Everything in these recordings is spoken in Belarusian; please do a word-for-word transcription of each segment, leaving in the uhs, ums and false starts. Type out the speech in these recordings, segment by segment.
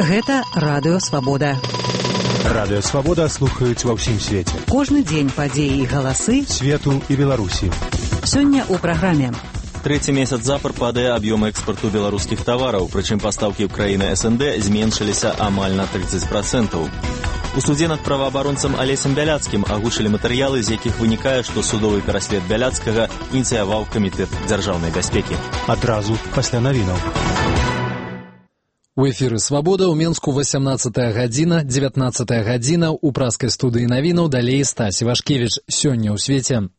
Гэта Радыё Свабода. Радыё Свабода слухаюць ва ўсім свеце. Кожны дзень падзеі і галасы свету і Беларусі. Сёння ў праграме. Трэці месяц запар падае аб'ём экспарту беларускіх тавараў, прычым пастаўкі ў краіны эс эн дэ зменшыліся амаль на трыццаць працэнтаў. У суде над праваабаронцам Алесем Бяляцкім агучылі матэрыялы, з якіх вынікае, што судовы пераслед Бяляцкага ініцыяваў камітэт дзяржаўнай бяспекі. Адразу пасля навінаў. У эфіры «Свабода» ў Менску васямнаццатая гадзіна, дзевятнаццатая гадзіна, у праскай студыі навінаў, далей Стась Івашкевіч. Сёння ў свеце.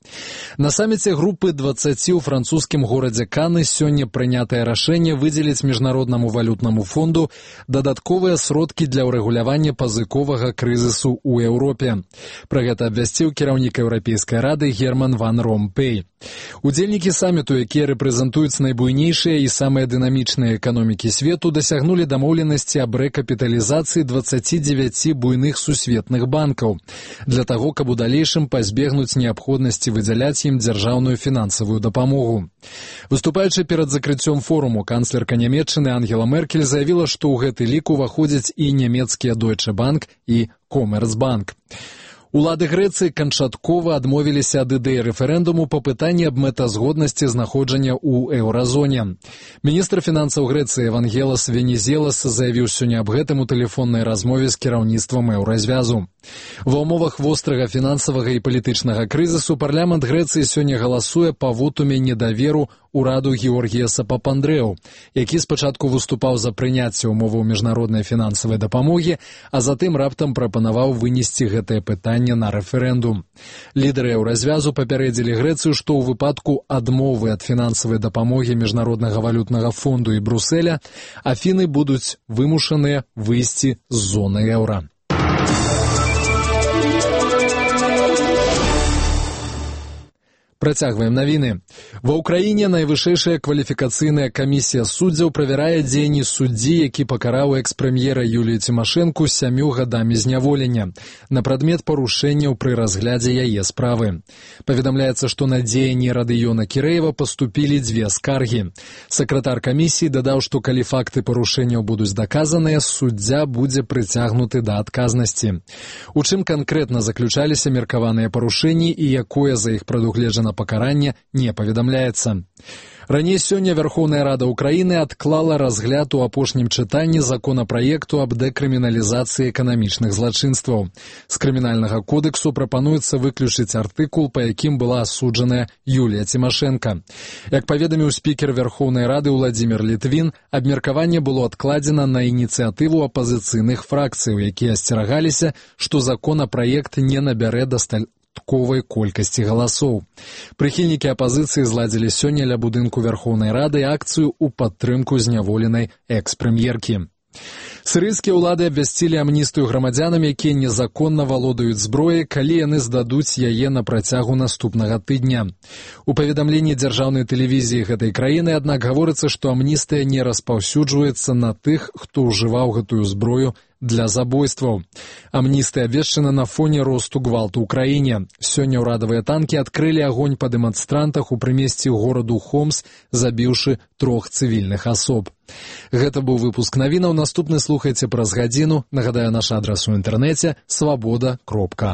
На саміце групы дваццаці ў французскім горадзе Каны сёння прынятае рашэнне выдзеліць Міжнароднаму валютнаму фонду дадатковыя сродкі для ўрэгулявання пазыковага крызісу ў Еўропе. Пра гэта абвясціў кіраўнік Еўрапейскай рады Герман ван Ромпей. Удзельнікі саміту, якія рэпрэзентуюць найбуйнейшыя і самыя дынамічныя эканомікі свету, дасягнулі дамоўленасці аб рэкапіталізацыі дваццаці дзевяці буйных сусветных банкаў для таго, каб у далейшым пазбегнуць неабходнасці выдзяляць ім дзяржаўную фінансавую дапамогу. Выступаючы перад закрыццём форуму, канцлерка Нямецчыны Ангела Меркель заявіла, што ў гэты лік уваходзяць і нямецкія Deutsche Bank і Commerzbank. Улады Грэцыі канчаткова адмовіліся ад ідэі рэферэндуму па пытанні аб мэтазгоднасці знаходжання ў еўразоне. Міністр фінансаў Грэцыі Евангелас Венізелас заявіў сёння аб гэтым у тэлефоннай размове з кіраўніцтвам еўразвязу. Ва ўмовах вострага фінансавага і палітычнага крызісу парламент Грэцыі сёння галасуе па вотуме недаверу ураду Георгіяса Папандрэу, які спачатку выступаў за прыняцце ўмоваў міжнароднай фінансавай дапамогі, а затым раптам прапанаваў вынесці гэтае пытанне на рэферэндум. Лідары еўразвязу папярэдзілі Грэцыю, што ў выпадку адмовы ад фінансавай дапамогі Міжнароднага валютнага фонду і Бруселя Афіны будуць вымушаныя выйсці з зоны еўра. Працягваем навіны. Ва ўкраіне найвышэйшая кваліфікацыйная камісія суддзяў правярае дзеянні суддзі, які пакараў экс-прэм'ера Юлію Цімашэнку сямю гадамі зняволення на прадмет парушэнняў пры разглядзе яе справы. Паведамляецца, што на дзеянні Радыёна Кірэева паступілі дзве скаргі. Сакратар камісіі дадаў, што калі факты парушэнняў будуць даказаныя, суддзя будзе прыцягнуты да адказнасці. У чым канкрэтна заключаліся меркаваныя парушэнні і якое за іх прадугледжана пакаранне, не паведамляецца. Раней сёння Вярхоўная Рада Ўкраіны адклала разгляд у апошнім чытанні законапраекту аб дэкрыміналізацыі эканамічных злачынстваў. З крымінальнага кодексу прапануецца выключыць артыкул, па якім была асуджаная Юлія Цімашэнка. Як паведаміў спікер Вярхоўнай Рады Уладзімір Літвін, абмеркаванне было адкладзена на ініцыятыву апазіцыйных фракцыяў, якія асцерагаліся, што законапраект не набярэ дастатковай колькасці галасоў. Прыхільнікі апазіцыі зладзілі сёння ля будынку Вярхоўнай Рады акцыю ў падтрымку зняволенай экс-прэм'еркі. Сірыйскія ўлады абвясцілі амністыю грамадзянам, якія незаконна валодаюць зброяй, калі яны здадуць яе на працягу наступнага тыдня. У паведамленні дзяржаўнай тэлевізіі гэтай краіны, аднак, гаворыцца, што амністыя не распаўсюджваецца на тых, хто ўжываў гэтую зброю для забойстваў. Амністыя абвешчана на фоне росту гвалту ў краіне. Сёння ўрадавыя танкі адкрылі агонь па дэманстрантах у прымесці гораду Хомс, забіўшы трох цывільных асоб. Гэта быў выпуск навінаў. Наступны слухайце праз гадзіну. Нагадаю, наш адрас у інтэрнэце свабода кропка